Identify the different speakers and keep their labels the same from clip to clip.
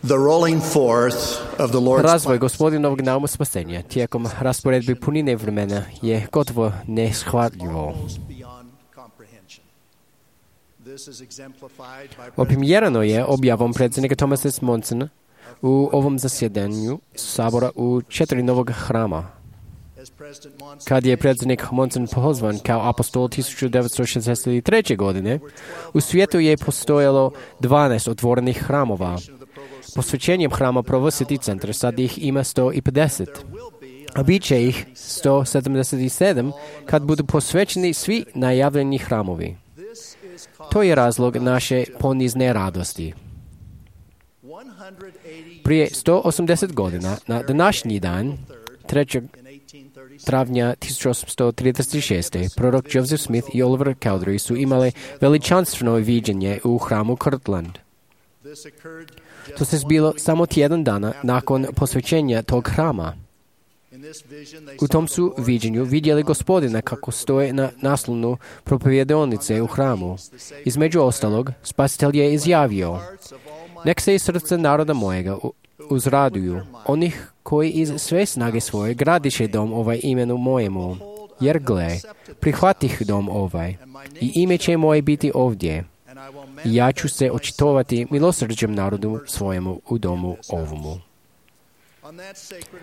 Speaker 1: The rolling forth of the Lord's
Speaker 2: Razvoj Gospodinovog nauma spasenja tijekom rasporedbe punine vremena je gotovo neshvatljivo. Oprimjerano je objavom predsjednika Thomasa S. Monsona u ovom zasjedanju Sabora u 4 novog hrama. Kad je predsjednik Monson pozvan kao apostol 1963. godine, u svijetu je postojalo 12 otvorenih hramova. Posvećenjem hrama Provositi centra sad ih ima 150, a bit će ih 177 kad budu posvećeni svi najavljeni hramovi. To je razlog naše ponizne radosti. Prije 180 godina, na današnji dan, 3. travnja 1836. prorok Joseph Smith i Oliver Cowdery su imali veličanstveno viđenje u hramu Kirtland. To se zbilo samo tjedan dana nakon posvećenja tog hrama. U tom su viđenju vidjeli Gospodina kako stoje na naslonu propovjedonice u hramu. Između ostalog, Spasitelj je izjavio: "Nek se iz srca naroda mojega uzraduju, onih koji iz sve snage svoje gradiše dom ovaj imenu mojemu. Jer gle, prihvatih dom ovaj, i ime će moje biti ovdje. I ja ću se očitovati milosrđem narodu svojemu u domu ovomu."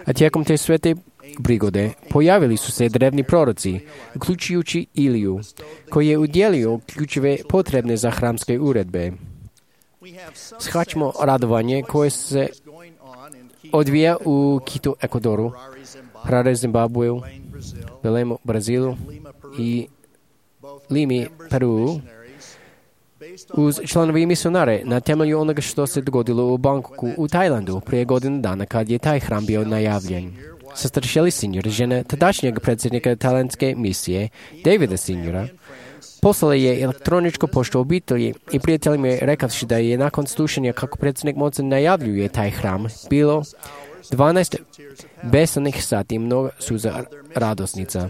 Speaker 2: A tijekom te svete prigode pojavili su se drevni proroci, uključujući Iliju, koji je udjelio ključeve potrebne za hramske uredbe. Shvaćamo radovanje koje se odvija u Kitu, Ekvadoru, Harare, Zimbabveu, Belemu, Brazilu i Limi, Peru, uz članovi misionare na temelju onoga što se dogodilo u Bangkoku u Tajlandu prije godinu dana kad je taj hram bio najavljen. Sestra Shelley Senior, žena tadašnjeg predsjednika tajlandske misije, Davida Seniora, poslala je elektroničku poštu obitelji i prijateljima je rekavši da je nakon slušanja kako predsjednik Monson najavljuje taj hram bilo 12 besanih sati i mnogo suza radosnica.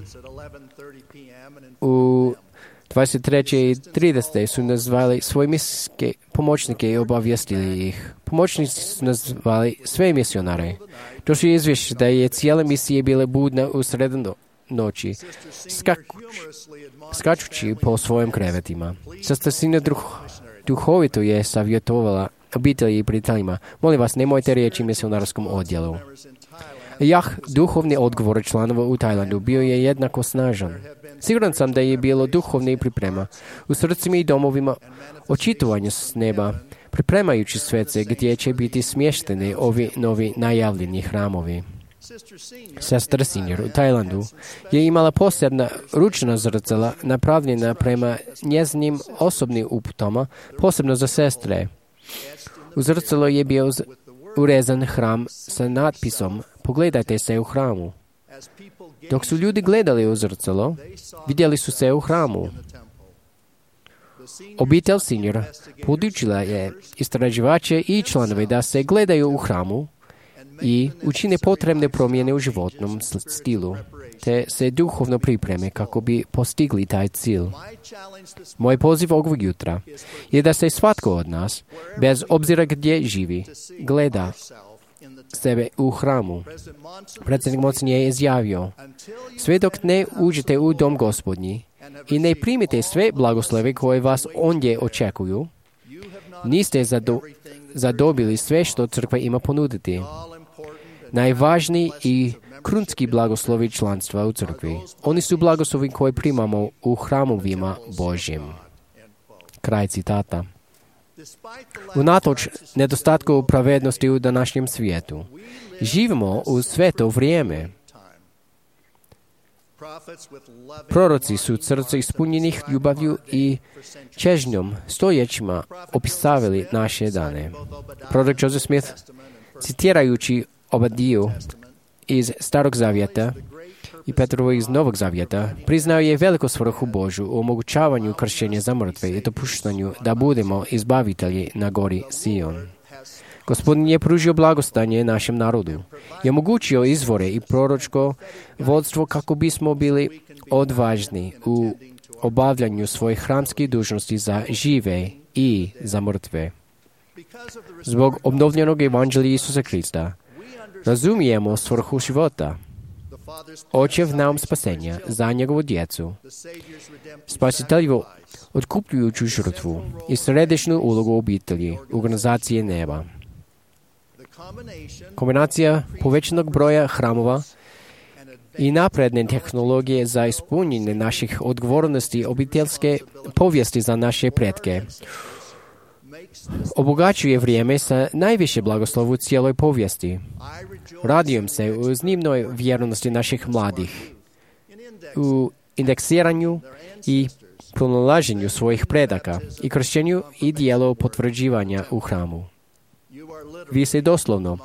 Speaker 2: U 23:30 su nazvali svoje misijske pomoćnike i obavijestili ih. Pomoćnici su nazvali sve misionare. Došli je izvješće da je cijela misija bila budna u sredu noći, skačući po svojim krevetima. Sestra Sina duhovito je savjetovala obitelji i prijateljima: "Molim vas, nemojte reći misionarskom odjelu." Duhovni odgovor članova u Tajlandu bio je jednako snažan. Siguran sam da je bilo duhovne priprema u srcima i domovima očitovanja s neba, pripremajući svece gdje će biti smješteni ovi novi najavljeni hramovi. Sestra Senior u Tajlandu je imala posebna ručna zrcala napravljena prema njezinim osobnim uputama, posebno za sestre. U zrcalo je bio urezan hram sa natpisom: "Pogledajte se u hramu." Dok su ljudi gledali u zrcalo, vidjeli su se u hramu. Obitelj Senior podučila je istraživače i članove da se gledaju u hramu i učine potrebne promjene u životnom stilu, te se duhovno pripreme kako bi postigli taj cilj. Moj poziv ovog jutra je da se svatko od nas, bez obzira gdje živi, gleda sebe u hramu. Predsjednik Monson je izjavio: "Sve dok ne uđete u dom Gospodnji i ne primite sve blagoslove koje vas ondje očekuju, niste zadobili sve što crkva ima ponuditi. Najvažniji i krunski blagoslovi članstva u crkvi, oni su blagoslovi koje primamo u hramovima Božjim." Kraj citata. Unatoč nedostatku pravednosti u današnjem svijetu, živimo u sveto vrijeme. Proroci su srca ispunjenih ljubavlju i čežnjom stojećima opisavili naše dane. Prorok Joseph Smith, citirajući Obadiju iz Starog zavjeta i Petrovo iz Novog zavjeta, priznao je veliku svrhu Božju u omogućavanju kršćenja za mrtve i dopuštanju da budemo izbavitelji na gori Sion. Gospodin je pružio blagostanje našem narodu i omogućio izvore i proročko vodstvo kako bismo bili odvažni u obavljanju svojih hramskih dužnosti za žive i za mrtve. Zbog obnovljenog evanđelja Isusa Krista razumijemo svrhu života. Očev nam spasenja za njegovu djecu, spasitelju otkupljujuću žrtvu i središnju ulogu obitelji, organizacije neba. Kombinacija povećanog broja hramova i napredne tehnologije za ispunjenje naših odgovornosti obiteljske povijesti za naše pretke obogaćuje vrijeme sa najviše blagoslovu u cijeloj povijesti. Radujem se u iznimnoj vjernosti naših mladih, u indeksiranju i pronalaženju svojih predaka i kršćenju i dijelu potvrđivanja u hramu. Vi se doslovno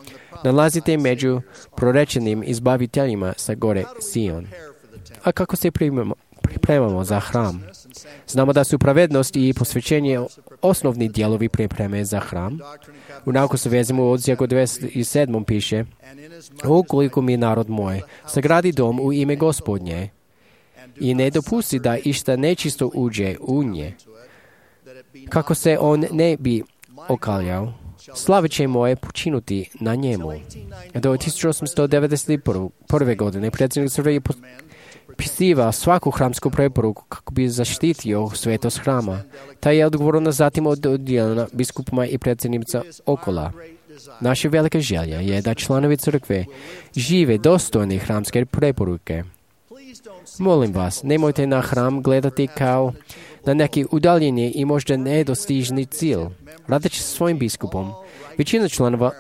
Speaker 2: nalazite među prorečenim izbaviteljima sa gore Sion. A kako se pripremamo za hram? Znamo da su pravednost i posvećenje osnovni dijelovi pripreme za hram. U nauku se vezimo u odsjeku 27. piše: ukoliko mi narod moj sagradi dom u ime Gospodnje i ne dopusti da išta nečisto uđe u nje, kako se on ne bi okaljao, slave će moje počinuti na njemu. Do 1891. godine predsjednik crkve je pisivao svaku hramsku preporuku kako bi zaštitio svetost hrama. Ta je odgovorna zatim oddijeljena biskupima i predsjednica okola. Naša velika želja je da članovi crkve žive dostojni hramske preporuke. Molim vas, nemojte na hram gledati kao na neki udaljeni i možda nedostižni cilj. Radeći svojim biskupom, većina članova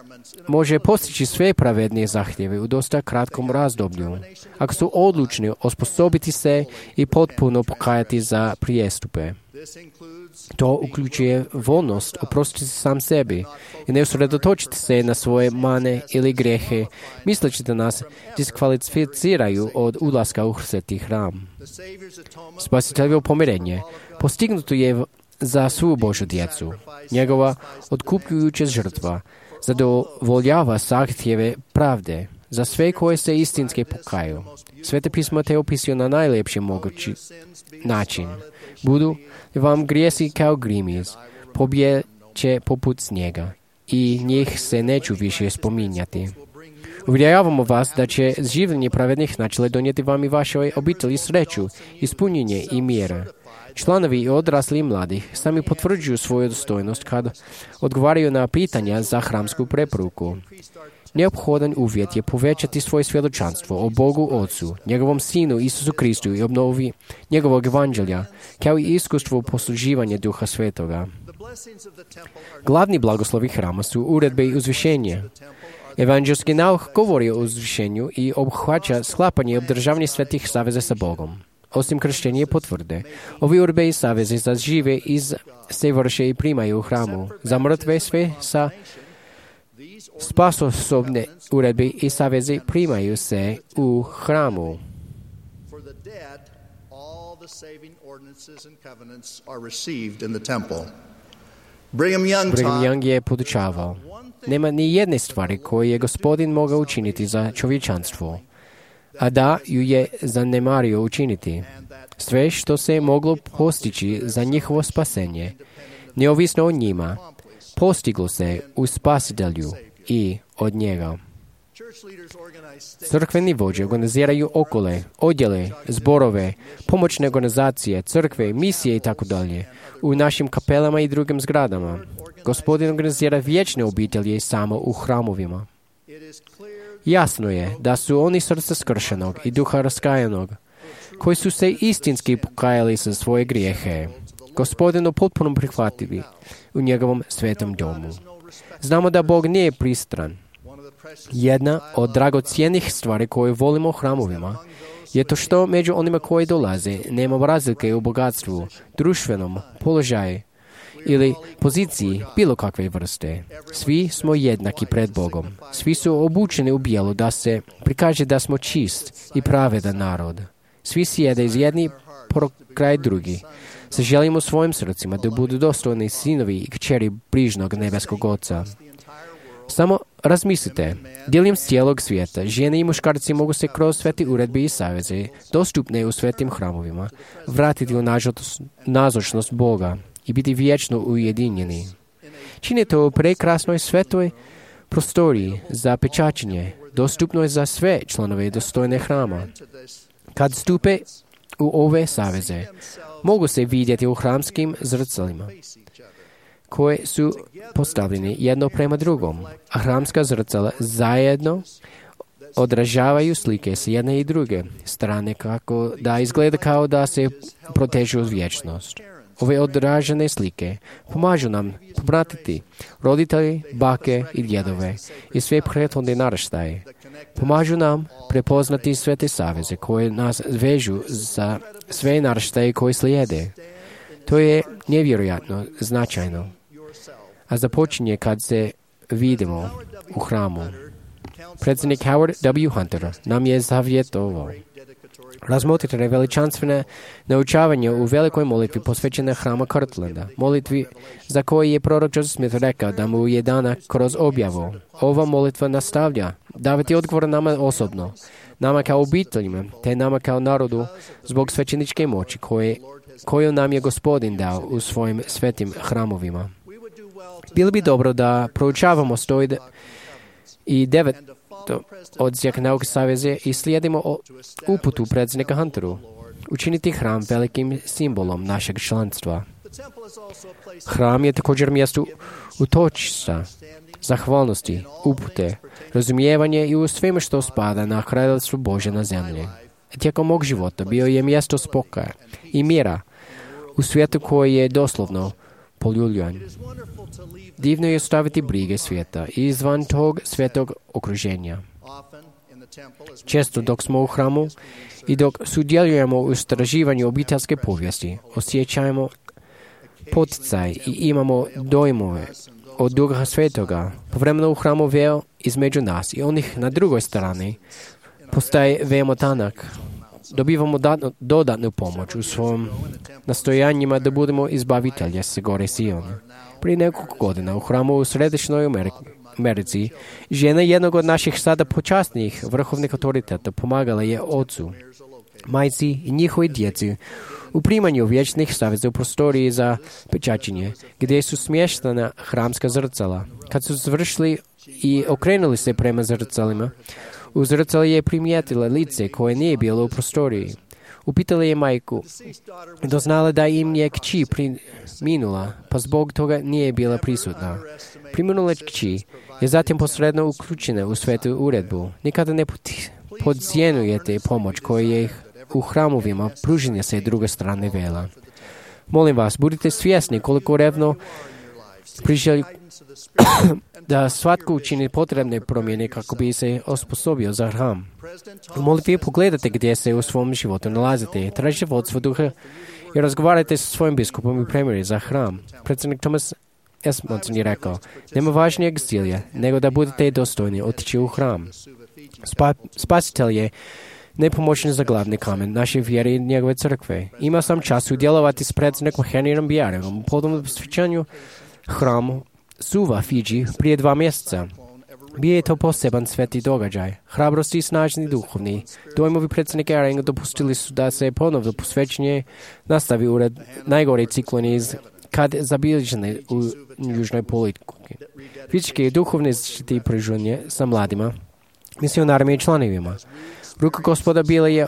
Speaker 2: može postići sve pravednije zahtjeve u dosta kratkom razdoblju, ako su odlučni osposobiti se i potpuno pokajati za prijestupe. To uključuje voljnost oprostiti sam sebi i ne usredotočiti se na svoje mane ili grijehe, misleći da nas diskvalificiraju od ulaska u sveti hram. Spasiteljevo pomirenje postignuto je za svu Božju djecu. Njegova otkupljujuća žrtva zadovoljava zahtjeve pravde za sve koje se istinski pokaju. Svete pismo te opisuje na najljepši mogući način. Budu vam grijesi kao grimiz, pobjeće poput snijega i njih se neću više spominjati. Uvjeravamo vas da će življenje pravednih načela donijeti vam i vašoj obitelji sreću, ispunjenje i mir. Članovi i odrasli i mladih sami potvrđuju svoju dostojnost kad odgovaraju na pitanja za hramsku preporuku. Neophodan uvjet je povećati svoje svjedočanstvo o Bogu Otcu, njegovom Sinu Isusu Kristu i obnovi njegovog evanđelja, kao i iskustvo posluživanja Duha Svetoga. Glavni blagoslovi hrama su uredbe i uzvišenje. Evanđelski nauk govori o uzvišenju i obuhvaća sklapanje i obdržavanje svetih saveza sa Bogom. Osim kršćenja i potvrde, ovi uredbe i savezi za žive se vrše i primaju u hramu. Za mrtve sve sa spasosobne uredbe i savezi primaju se u hramu. Brigham Young je podučavao: nema ni jedne stvari koju je Gospodin mogao učiniti za čovječanstvo, a da ju je zanemario učiniti. Sve što se moglo postići za njihovo spasenje, neovisno o njima, postiglo se u Spasitelju i od njega. Crkveni vođe organiziraju okole, odjele, zborove, pomoćne organizacije, crkve, misije itd. u našim kapelama i drugim zgradama. Gospodin organizira vječne obitelji samo u hramovima. Jasno je da su oni srca skršenog i duha raskajanog, koji su se istinski pokajali za svoje grijehe, Gospodinu potpuno prihvatili u njegovom svetom domu. Znamo da Bog nije pristran. Jedna od dragocjenih stvari koje volimo u hramovima je to što među onima koji dolaze nema razlike u bogatstvu, društvenom položaju ili poziciji bilo kakve vrste. Svi smo jednaki pred Bogom. Svi su obučeni u bijelo da se prikaže da smo čist i pravedan narod. Svi sjede iz jedni kraj drugi. Se želimo svojim srcima da budu dostojni sinovi i kćeri brižnog nebeskog Oca. Samo razmislite, diljem cijelog svijeta, žene i muškarci mogu se kroz sveti uredbe i saveze, dostupne u svetim hramovima, vratiti u nazočnost Boga i biti vječno ujedinjeni. Čini to u prekrasnoj svetoj prostoriji za pečaćenje, dostupnoj za sve članove dostojne hrama. Kad stupe u ove saveze, mogu se vidjeti u hramskim zrcalima, koje su postavljeni jedno prema drugom, a hramska zrcala zajedno odražavaju slike s jedne i druge strane kako da izgleda kao da se protežu uz vječnost. Ove odražene slike pomažu nam popratiti roditelji, bake i djedove i sve prethodne naraštaje. Pomažu nam prepoznati sve te saveze koje nas vežu za sve naraštaje koji slijede. To je nevjerojatno značajno. A započinje kad se vidimo u hramu. Predsjednik Howard W. Hunter nam je zavjetovao. Razmotrite veličanstvene naučavanje u velikoj molitvi posvećene hrama Kirtlanda, molitvi za koji je prorok Joseph Smith rekao da mu je dana kroz objavu. Ova molitva nastavlja davati odgovor nama osobno, nama kao obiteljima, te nama kao narodu zbog svećeničke moći koju nam je Gospodin dao u svojim svetim hramovima. Bilo bi dobro da proučavamo 109 odsjek nauke saveze i slijedimo uputu predsjednika Hunteru. Učiniti hram velikim simbolom našeg članstva. Hram je također mjesto utočišta, zahvalnosti, upute, razumijevanje i u svemu što spada na kraljevstvo Božje na zemlji. Tijekom mog života bio je mjesto spokoja i mira u svijetu koji je doslovno poljuljan. Divno je ostaviti brige svijeta izvan tog svetog okruženja. Često dok smo u hramu i dok sudjelujemo u istraživanju obiteljske povijesti, osjećajemo poticaj i imamo dojmove od Duha Svetoga. Povremeno u hramu veo između nas i onih na drugoj strani postaje veoma tanak. Dobivamo dodatnu pomoć u svojim nastojanjima da budemo izbavitelje s gore Siona. Prije nekoliko godina u hramu u središnjoj Americi žena jednog od naših sada počasnijih vrhovnih autoriteta pomagala je ocu, majci i njihovoj djeci u primanju vječnih saveza u prostoriji za pečaćenje, gdje su smještena hramska zrcala. Kad su završili i okrenuli se prema zrcalima, u zrcali je primijetila lice koje nije bilo u prostoriji. Upitala je majku, doznala da im je kći preminula, pa zbog toga nije bila prisutna. Preminula kći je zatim posredno uključena u svetu uredbu. Nikada ne podcijenujete pomoć koju je u hramovima pruženja se druge strane vela. Molim vas, budite svjesni koliko revno priželju da svatko učini potrebne promjene kako bi se osposobio za hram. U molitvi pogledajte gdje se u svom životu nalazite, tražite vodstvo duha i razgovarajte sa svojim biskupom i premijerom za hram. Predsjednik Thomas S. Monson je rekao, nema važnijeg cilja nego da budete dostojni otići u hram. Spasitelj je nepomoćni za glavni kamen naše vjere i njegove crkve. Imao sam čast udjelovati s predsjednikom Henryom Bijarem u podobnom posvećanju hramu Suva, Fidži, prije 2 mjeseca. Bio je to poseban sveti događaj. Hrabrosti i snažni duhovni dojmovi predsjednika Arenga dopustili su da se ponovno posvećenje nastavi ured najgore cikloni kad zabilježene u južnoj politiku. Fizičke i duhovne zaštite i pružanje sa mladima, misionarima i članovima. Ruka Gospoda bila je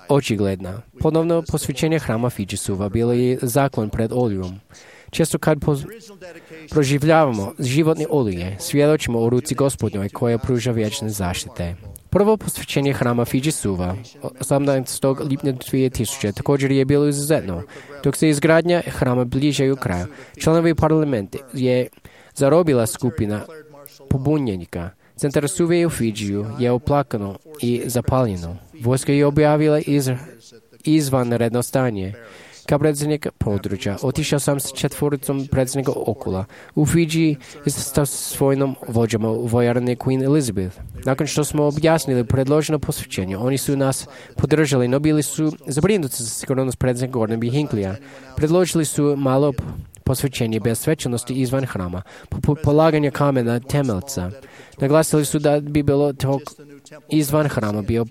Speaker 2: očigledna. Ponovno posvećenje hrama Fidži Suva bilo je zaklon pred olijom. Često kad proživljavamo životne olije, svjedočimo o ruci Gospodnjoj koja pruža vječne zaštite. Prvo posvećenje hrama Fidži Suva, 18. lipnja 2000, također je bilo izuzetno. Dok se izgradnja hrama bliže u kraju, članovi parlamenta je zarobila skupina pobunjenika. Centar Suve u Fidžiju je oplakano i zapaljeno. Vojska je objavila izvanredno stanje. Kao predsjednik područja, otišao sam s 4 predsjednika okula. U Fidži sa svojim vođama u vojarni Queen Elizabeth. Nakon što smo objasnili predloženo posvećenje, oni su nas podržali, no bili su zabrinuti za sigurnost predsjednika Gordon B. Hinkleyja. Predložili su malo posvećenje bez svečanosti izvan hrama, poput polaganja kamena temeljca. Naglasili su da bi bilo izvan hrama bio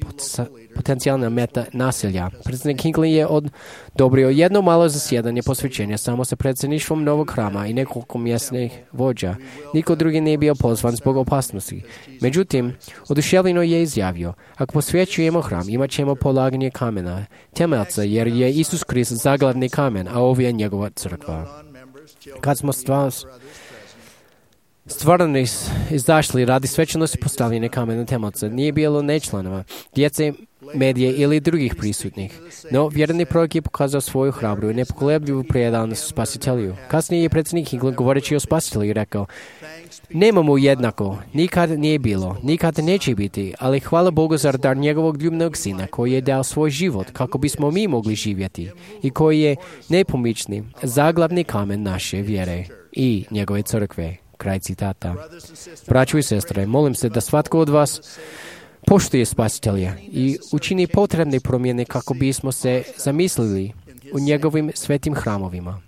Speaker 2: potencijalna meta nasilja. Predsjednik Hinckley je odobrio jedno malo zasjedanje posvećenja samo sa predsjedništvom novog hrama i nekoliko mjesnih vođa. Niko drugi nije bio pozvan zbog opasnosti. Međutim, oduševljeno je izjavio, ako posvećujemo hram, imat ćemo polaganje kamena, temelca, jer je Isus Krist zaglavni kamen, a ovo je njegova crkva. Kad smo stvarno izašli radi svečanosti postavljene kamena temelca, nije bilo nečlanova, djece, medije ili drugih prisutnih. No, vjerni prorok je pokazao svoju hrabru i nepokolebljivu predanost spasitelju. Kasnije je predsjednik Hinckley, govoreći o spasitelju, rekao, nema mu jednako, nikad nije bilo, nikad neće biti, ali hvala Bogu za dar njegovog ljubnog sina, koji je dao svoj život kako bismo mi mogli živjeti i koji je nepomični, zaglavni kamen naše vjere i njegove crkve. Kraj citata. Braćo i sestre, molim se da svatko od vas poštuje spasitelja i učini potrebne promjene kako bismo se zamislili u njegovim svetim hramovima.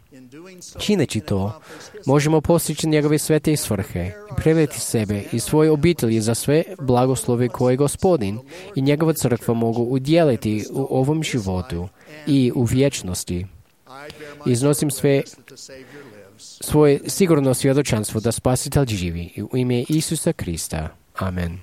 Speaker 2: Čineći to, možemo postići njegove svete svrhe i prevesti sebe i svoje obitelji za sve blagoslove koje Gospodin i njegova crkva mogu udjeliti u ovom životu i u vječnosti. Iznosim svoje sigurno svjedočanstvo da Spasitelj živi u ime Isusa Krista. Amen.